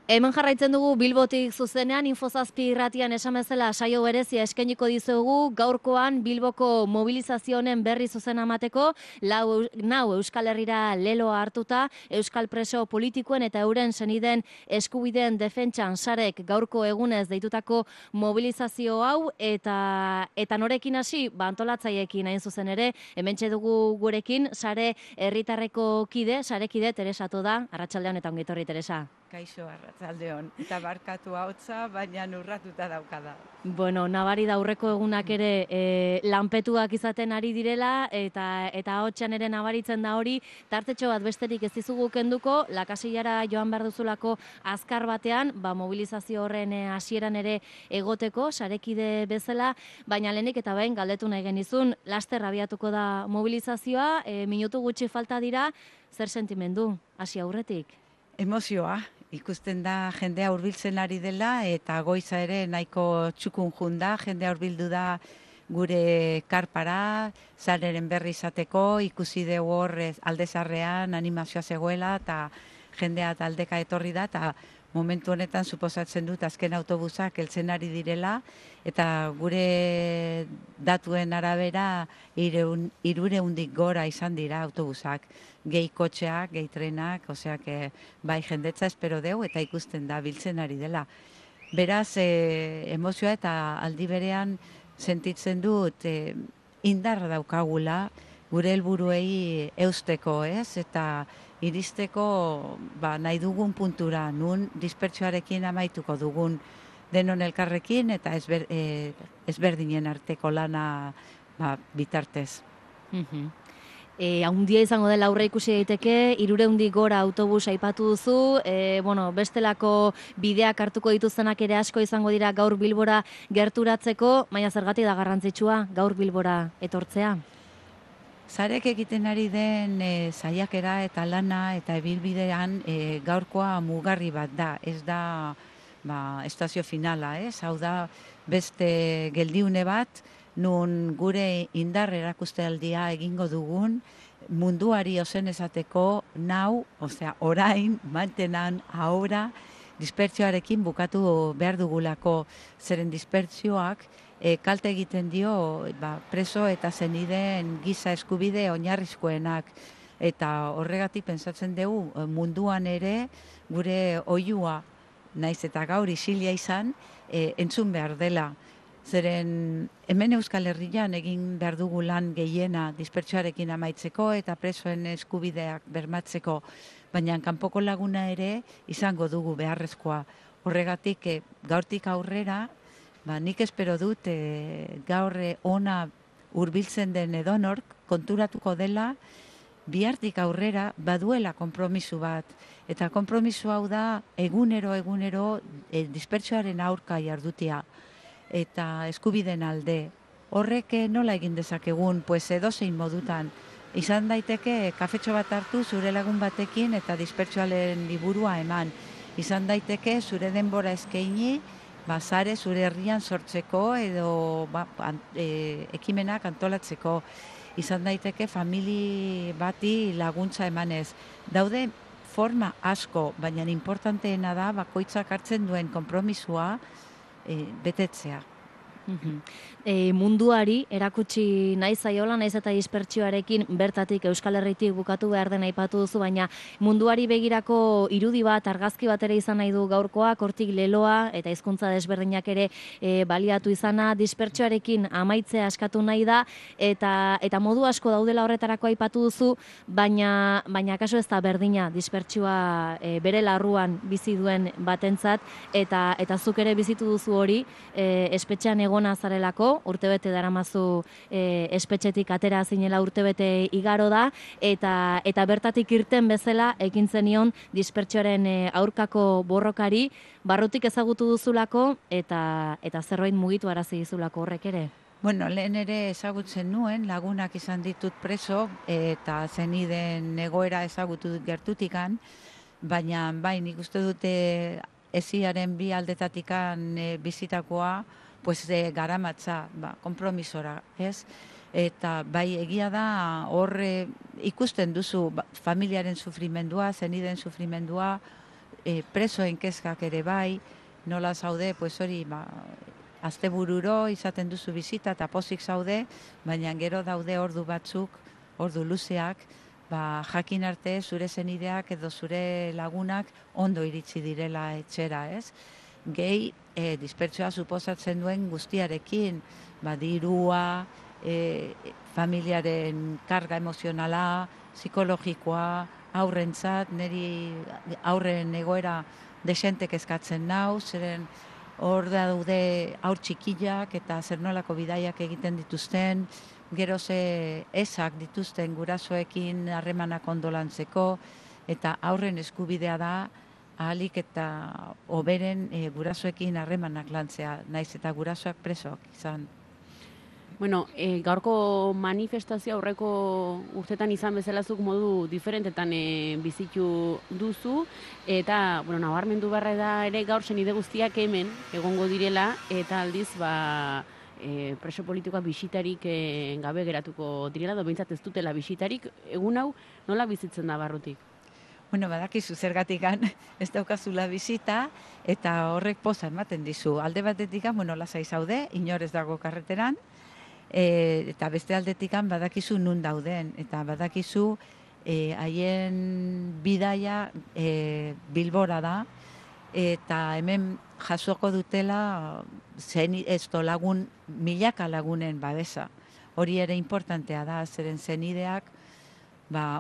Hemen jarraitzen dugu Bilbotik zuzenean, Infozazpi irratian esan bezala saio berezia eskainiko dizugu gaurkoan Bilboko mobilizazioen berri zuzena emateko, nau Euskal Herrira leloa hartuta, Euskal preso politikoen eta euren senideen eskubideen defentsan sarek gaurko egunez deitutako mobilizazio hau eta norekin hasi, antolatzaiekin hain zuzen ere, hementxe dugu gurekin, sare herritarreko sarekide Teresa da, arratsaldean eta ongi etorri Teresa. Kaixo, arratsaldeon, eta barkatu hautza, baina urratuta daukada. Bueno, nabari da aurreko egunak ere lanpetuak izaten ari direla, eta hotxan ere nabaritzen da hori, tartetxo bat besterik ez dizugu kenduko, lakasillara joan behar duzulako azkar batean, mobilizazio horren hasieran ere egoteko, sarekide bezala, baina lehenik eta behin galdetu nahi genizun, laster abiatuko da mobilizazioa, minutu gutxi falta dira, zer sentimendu, hasi aurretik? Emozioa, ikusten da jendea hurbiltzen ari dela eta goiza ere nahiko txukun junda, jendea hurbildu da gure karpara, zareren berri izateko, ikusi dugu hor aldezarrean animazioa zegoela eta jendea taldeka etorri da eta momentu honetan suposatzen dut azken autobusak heltzen ari direla eta gure datuen arabera 300 gora izan dira autobusak. Gehi kotxeak, gehi trenak, oseak bai jendetza espero deu eta ikusten da biltzen ari dela. Beraz, emozioa eta aldi berean sentitzen dut indarra daukagula gure helburuei eusteko, ez? Eta iristeko nahi dugun puntura, nun dispertsioarekin amaituko dugun denon elkarrekin eta ezberdinen arteko lana bitartez. Haundia izango dela aurre ikusi daiteke, 300 gora autobus aipatu duzu, bestelako bideak hartuko dituztenak ere asko izango dira gaur Bilbora gerturatzeko, baina zergatik da garrantzitsua gaur Bilbora etortzea? Zarek egiten ari den saiakera eta lana eta ibilbidean gaurkoa mugarri bat da, ez da estazio finala, ez? Hau da beste geldiune bat, nun gure indar erakustealdia egingo dugun, munduari ozen esateko nau, osea orain, mantenan, ahora, dispertsioarekin bukatu behar dugulako, zeren dispertsioak kalte egiten dio preso eta zenideen giza eskubide oinarrizkoenak. Eta horregatik pentsatzen dugu munduan ere gure oihua, naiz eta gaur isilia izan, entzun behar dela. Zeren hemen Euskal Herrian egin behar dugu lan gehiena dispertsioarekin amaitzeko eta presoen eskubideak bermatzeko, baina kanpoko laguna ere izango dugu beharrezkoa. Horregatik gaurtik aurrera, nik espero dut gaur ona hurbiltzen den edonork konturatuko dela bihartik aurrera baduela konpromisu bat. Eta konpromisu hau da egunero dispertsioaren aurka jardutia eta eskubiden alde. Horrek nola egin dezakegun, edozein modutan. Izan daiteke kafetxo bat hartu zure lagun batekin eta dispertsioaren liburua eman. Izan daiteke zure denbora eskaini, sare zure herrian sortzeko edo ekimenak antolatzeko. Izan daiteke famili bati laguntza emanez. Daude forma asko, baina importanteena da bakoitzak hartzen duen konpromisua betetzea. Munduari erakutsi nahi zaiola, naiz eta dispertsioarekin bertatik Euskal Herritik bukatu behar den aipatu duzu, baina munduari begirako irudi bat, argazki bat ere izan nahi du gaurkoak, hortik leloa eta hizkuntza desberdinak ere baliatu izana, dispertsioarekin amaitzea eskatu nahi da, eta modu asko daudela horretarako aipatu duzu, baina kaso ez da berdina dispertsioa bere larruan bizi duen batentzat, eta zuk ere bizitu duzu hori, espetxean egona zarelako, urtebete daramazu espetxetik atera zinela urtebete igaro da, eta bertatik irten bezala ekin zenion dispertsioaren aurkako borrokari, barrutik ezagutu duzulako, eta zerbait mugitu arazi dizulako horrek ere. Bueno, lehen ere ezagutzen nuen, lagunak izan ditut preso, eta zeniden egoera ezagutu dut gertutikan, baina nik uste dute esiaren bi aldetatikan bizitakoa, garamatza, konpromisora, ez? Eta bai egia da, hor ikusten duzu familiaren sufrimendua, zeniden sufrimendua, presoen kezkak ere bai, nola zaude, pues hori, astebururo izaten duzu bizita eta pozik zaude, baina gero daude ordu batzuk, ordu luzeak, jakin arte zure zenideak edo zure lagunak ondo iritsi direla etxera, ez? Gehi, dispertsioa suposatzen duen guztiarekin, dirua, familiaren karga emozionala, psikologikoa, aurrentzat, niri aurren egoera desentek eskatzen nau, zeren hor daude aur txikiak eta zer nolako bidaiak egiten dituzten, gero ze ezak dituzten gurasoekin harremanak ondolantzeko, eta aurren eskubidea da ahalik eta hoberen gurasoekin harremanak lantzea, naiz eta gurasoak presoak izan. Bueno, gaurko manifestazio aurreko urtetan izan bezalazuk modu diferentetan bizitu duzu, eta nabarmendu barra da ere gaur senide guztiak hemen egongo direla, eta aldiz preso politikoak bisitarik gabe geratuko direla, behintzat ez dutela bisitarik. Egun hau nola bizitzen da barrutik? Badakizu zergatikan ez daukazula bizita, eta horrek poza ematen dizu. Alde batetik, lasai zaude, inor ez dago karreteran, eta beste aldetikan badakizu nun dauden, eta badakizu haien bidaia Bilbora da, eta hemen jasoko dutela lagun, milaka lagunen babesa. Hori ere importantea da, zeren zenideak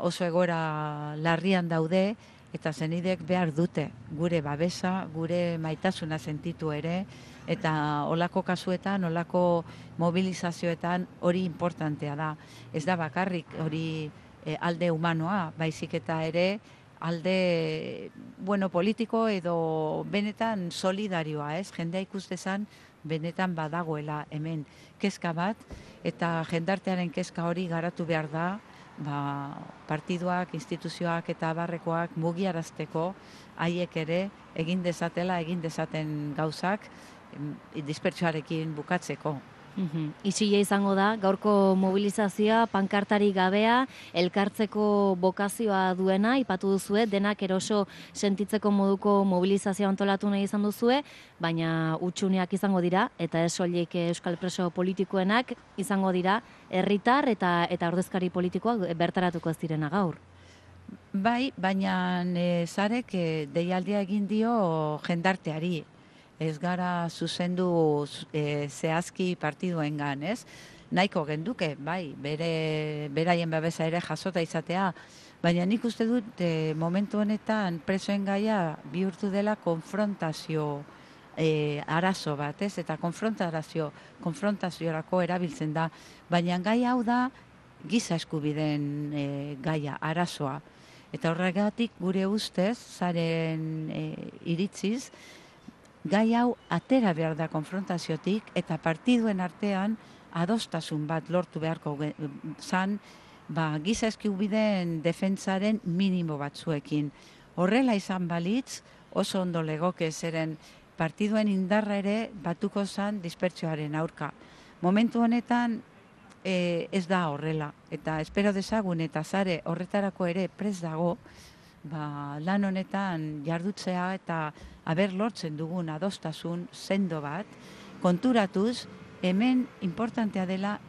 oso egoera larrian daude, eta zenideek behar dute gure babesa, gure maitasuna sentitu ere, eta olako kasuetan, olako mobilizazioetan hori importantea da. Ez da bakarrik hori alde humanoa, baizik eta ere alde politiko edo benetan solidarioa, ez? Jendea ikustezan benetan badagoela hemen kezka bat, eta jendartearen kezka hori garatu behar da, partiduak, instituzioak eta abarrekoak mugiarazteko haiek ere egin dezaten gauzak dispertsioarekin bukatzeko. Isila izango da, gaurko mobilizazioa, pankartari gabea, elkartzeko bokazioa duena, ipatu duzue, denak eroso sentitzeko moduko mobilizazioa antolatu nahi izan duzue, baina utxuneak izango dira, eta ez soilik euskal preso politikoenak izango dira, herritar eta ordezkari politikoak bertaratuko ez direna gaur. Bai, baina zarek deialdia egin dio jendarteari. Ez gara zuzendu zehazki partiduengan, ez? Nahiko genduke, bai, beraien babesa ere jasota izatea, baina nik uste dut momentu honetan presoen gaia bihurtu dela konfrontazio arazo bat, ez? Eta konfrontaziorako erabiltzen da, baina gai hau da giza eskubideen gaia, arazoa. Eta horregatik gure ustez, zaren iritziz, gai hau atera behar da konfrontaziotik, eta partiduen artean adostasun bat lortu beharko zan, giza eskubideen defentsaren minimo batzuekin. Horrela izan balitz, oso ondo legoke, zeren partiduen indarra ere batuko zan dispertsioaren aurka. Momentu honetan ez da horrela, eta espero dezagun eta zare horretarako ere prest dago, lan honetan jardutzea eta haber lortzen dugun adostasun sendo bat, konturatuz, hemen importantea dela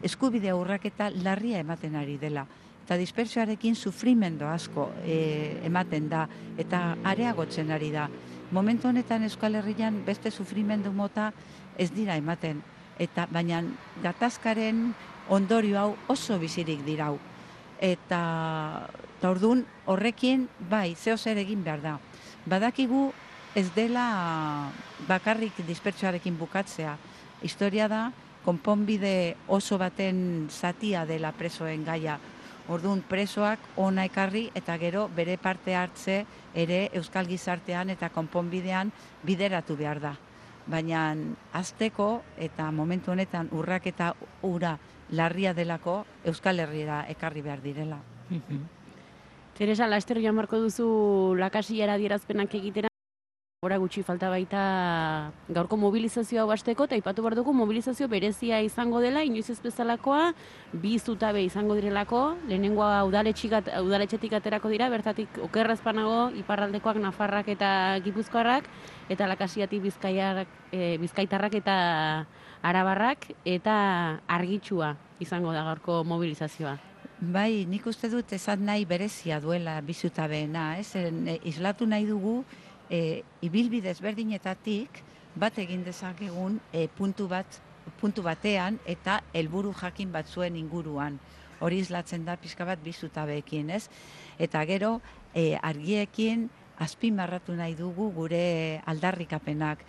eskubide urraketa larria ematen ari dela. Eta dispertsioarekin sufrimendu asko ematen da, eta areagotzen ari da. Momentu honetan Euskal Herrian beste sufrimendu mota ez dira ematen, baina gatazkaren ondorio hau oso bizirik dirau. Eta orduan horrekin, zeo zer egin behar da. Badakigu ez dela bakarrik dispertsioarekin bukatzea. Historia da, konponbide oso baten zatia dela presoen gaia. Orduan presoak ona ekarri eta gero bere parte hartze ere euskal gizartean eta konponbidean bideratu behar da. Baina azteko eta momentu honetan urraketa ura larria delako Euskal Herriera ekarri behar direla. Teresa, laster joan marko duzu lakasillara adierazpenak egitera. Ora gutxi falta baita gaurko mobilizazioa hasteko, eta aipatu behar dugu mobilizazio berezia izango dela, inoiz ez bezalakoa, bi zutabe izango direlako, lehenengoa udaletxetik aterako dira, bertatik okerrazpanago, iparraldekoak, nafarrak eta gipuzkoarrak, eta lakasiatik bizkaitarrak eta arabarrak, eta argitsua izango da gaurko mobilizazioa. Bai, nik uste dut esan nahi berezia duela bi zutabeena, islatu nahi dugu, ibilbide ezberdinetatik bat egin dezakegun puntu batean eta helburu jakin batzuen inguruan. Hori islatzen da pixka bat bi zutabeekin, ez? Eta gero argiekin azpimarratu nahi dugu gure aldarrikapenak.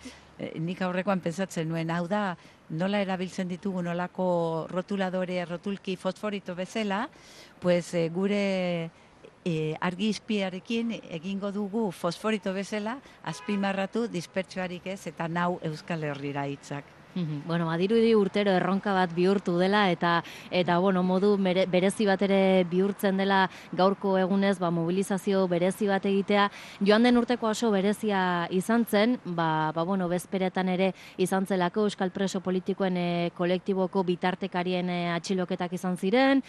Nik aurrekoan pentsatzen nuen, hau da, nola erabiltzen ditugu nolako rotulki fosforito bezala, pues gure argi izpiarekin egingo dugu fosforito bezala, azpimarratu dispertsioarik ez eta nau Euskal Herrira hitzak. Bueno, badirudi urtero erronka bat bihurtu dela eta bueno, modu berezi bat ere bihurtzen dela gaurko egunez, mobilizazio berezi bat egitea. Joan den urteko oso berezia izan zen, bueno, bezperetan ere izan zelako Euskal Preso Politikoen kolektiboko bitartekarien atxiloketak izan ziren,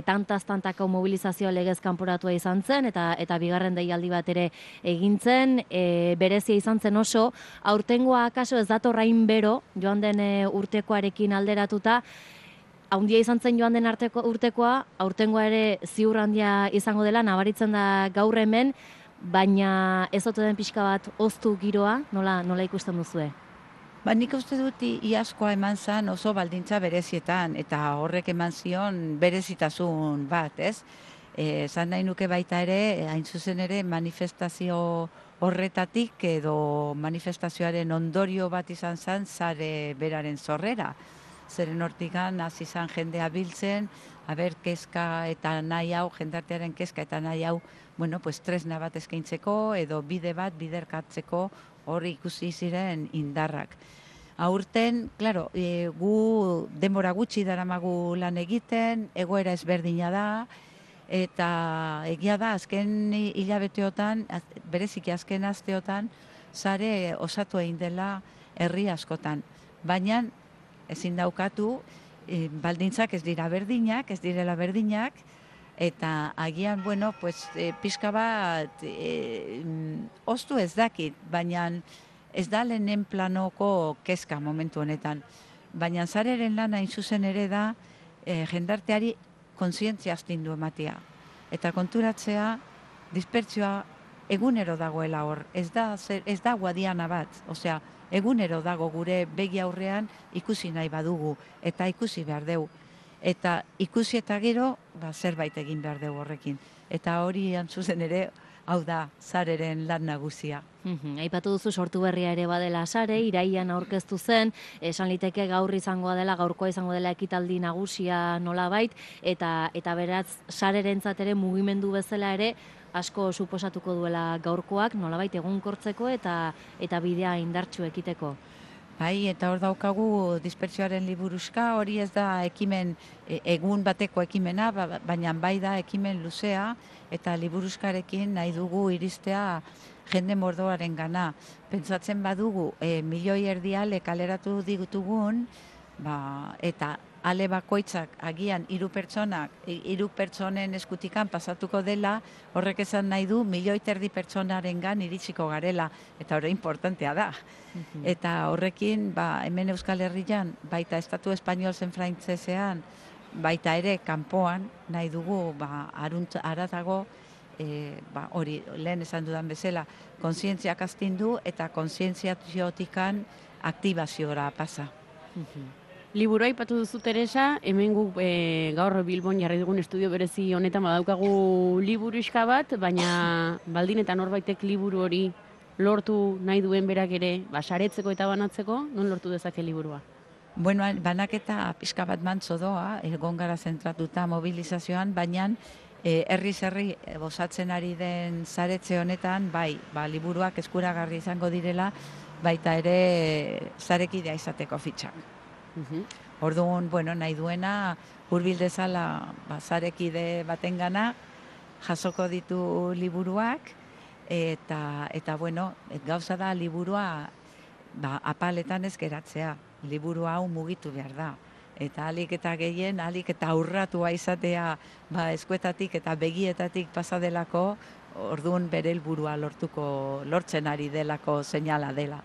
tantaz-tantako mobilizazioa legez kanporatua izan zen, eta bigarren deialdi bat ere egin zen, berezia izan zen oso, aurtengoa akaso ez datorrain bero, joan den urtekoarekin alderatuta, haundia izan zen joan den urtekoa, aurtengoa ere ziur handia izango dela, nabaritzen da gaur hemen, baina ez ote den pixka bat oztu giroa, nola ikusten duzue? Nik uste dut iazkoa eman zen oso baldintza berezietan, eta horrek eman zion berezitasun bat, ez? Zan nahi nuke baita ere, hain zuzen ere, manifestazio horretatik edo manifestazioaren ondorio bat izan zen sare beraren zorrera. Zeren hortikan hasi izan jendea biltzen, kezka eta nahi hau, jendartearen kezka eta nahi hau, bueno, pues tresna bat eskaintzeko edo bide bat biderkatzeko hori ikusi ziren indarrak. Aurten, claro, gu denbora gutxi daramagu lan egiten, egoera ezberdina da, eta egia da, azken hilabeteotan, bereziki azken asteotan, sare osatu egin dela herri askotan. Baina, ezin daukatu, baldintzak ez direla berdinak, eta agian, bueno, pues, pixka bat, oztu ez dakit, baina ez da lehenen planoko kezka momentu honetan. Baina sareren lana hain zuzen ere da, jendarteari kontzientzia astindu ematea. Eta konturatzea, dispertsioa egunero dagoela hor. Ez da guadiana bat. Osea, egunero dago gure begi aurrean ikusi nahi badugu. Eta ikusi behar dugu. Eta ikusi eta gero, zerbait egin behar dugu horrekin. Eta hori zuzen ere, hau da, sareren lan nagusia. Aipatu duzu sortu berria ere badela sare, iraian aurkeztu zen, esan liteke gaurkoa izango dela ekitaldi nagusia nolabait, eta beraz sarerentzat ere mugimendu bezala ere asko suposatuko duela gaurkoak nolabait egonkortzeko eta bidea indartsu ekiteko. Bai, eta hor daukagu dispertsioaren liburuska, hori ez da egun bateko ekimena, baina bai da ekimen luzea, eta liburuskarekin nahi dugu iristea jende mordoaren gana. Pentsatzen badugu, 1,5 milioi kaleratu ditugun, eta ale bakoitzak agian 3 pertsonen eskutikan pasatuko dela, horrek esan nahi du 1,5 milioi pertsonaren gan iritsiko garela, eta hori importantea da. Eta horrekin, hemen Euskal Herrian, baita Estatu Espainol zen frantzesean, baita ere kanpoan nahi dugu, aratago, hori lehen esan dudan bezala, kontzientziak astindu eta kontzientziatiotikan aktibaziora pasa. Liburua aipatu duzu, Teresa, hemen guk gaur Bilbon jarri dugun estudio berezi honetan badaukagu liburuska bat, baina baldin eta norbaitek liburu hori lortu nahi duen berak ere, saretzeko eta banatzeko, non lortu dezake liburua? Bueno, banaketa pixka bat mantzo doa, egon gara zentratuta mobilizazioan, baina herriz herri osatzen ari den saretze honetan, liburuak eskuragarri izango direla, baita ere sarekidea izateko fitxak. Orduan, nahi duena, hurbil dezala sarekide batengana jasoko ditu liburuak, eta bueno, gauza da liburua apaletan ez geratzea. Liburu hau mugitu behar da. Eta alik eta gehien, alik eta aurratua izatea eskuetatik eta begietatik pasadelako, orduan bere helburua lortzen ari delako seinala dela.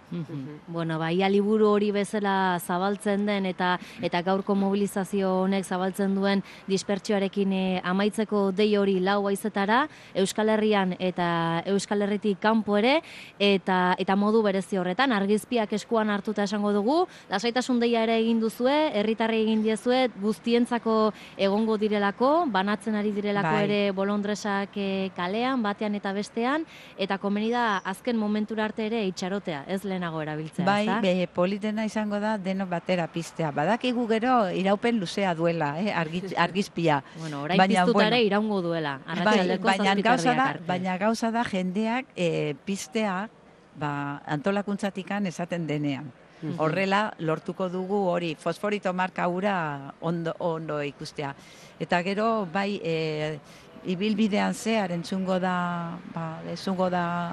Bueno, ia liburu hori bezala zabaltzen den eta gaurko mobilizazio honek zabaltzen duen dispertsioarekin amaitzeko dei hori 4 haizetara, Euskal Herrian eta Euskal Herritik kanpo ere, eta modu berezi horretan, argizpiak eskuan hartuta esango dugu, lasaitasun deia ere egin duzue, herritarrei egin diezue, guztientzako egongo direlako, banatzen ari direlako ere bolondresak kalean, batean eta bestean, eta komeni da azken momentura arte ere itxarotea, ez lehenago erabiltzea, ezta? Bai, politena izango da denok batera piztea. Badakigu gero iraupen luzea duela, argizpia. Bueno, orain piztuta ere iraungo duela, arratsaldeko 7:30 arte. Baina gauza da jendeak piztea antolakuntzatikan esaten denean. Horrela lortuko dugu hori fosforito marka hura ondo ikustea. Eta gero ibilbidean zehar entzungo da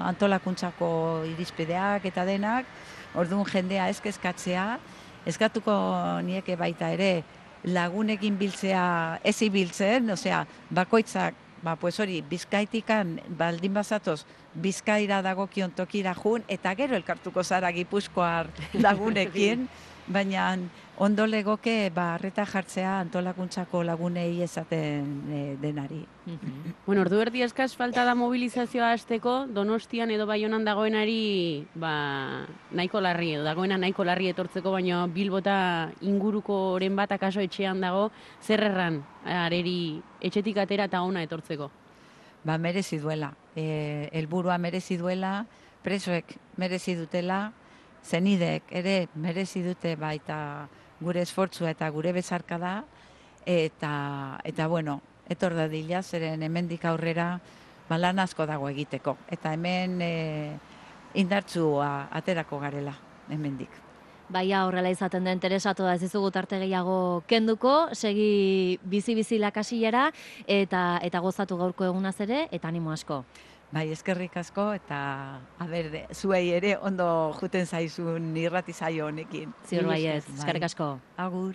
antolakuntzako irizpideak eta denak, orduan jendea ez kezkatzea, eskatuko nieke baita ere lagunekin biltzea ez ibiltzen, osea, bakoitzak, pues hori, Bizkaitikan baldin bazatoz, Bizkaira dagokion tokira jun, eta gero elkartuko zara Gipuzkoar lagunekin, baina ondo legoke arreta jartzea antolakuntzako lagunei esaten denari. Bueno, ordu erdi eskaz falta da mobilizazioa hasteko, Donostian edo Baionan dagoenari nahiko larri, edo dagoena nahiko larri etortzeko, baina Bilbota inguruko oren bat akaso etxean dago, zer erran areri etxetik atera eta ona etortzeko? Merezi duela, helburua merezi duela, presoek merezi dutela, zenidek ere merezi dute baita gure esfortzua eta gure bezarkada, eta bueno, etor dadila, zeren hemendik aurrera lan asko dago egiteko. Eta hemen indartsua aterako garela, hemendik. Baia horrela izaten da interesatu da ez dizugu tarte gehiago kenduko, segi bizi lakasilera eta gozatu gaurko egunaz ere, eta animo asko. Bai, eskerrik asko, eta zuei ere ondo juten zaizun irrati saio honekin. Ziur baiet, eskerrik asko. Agur.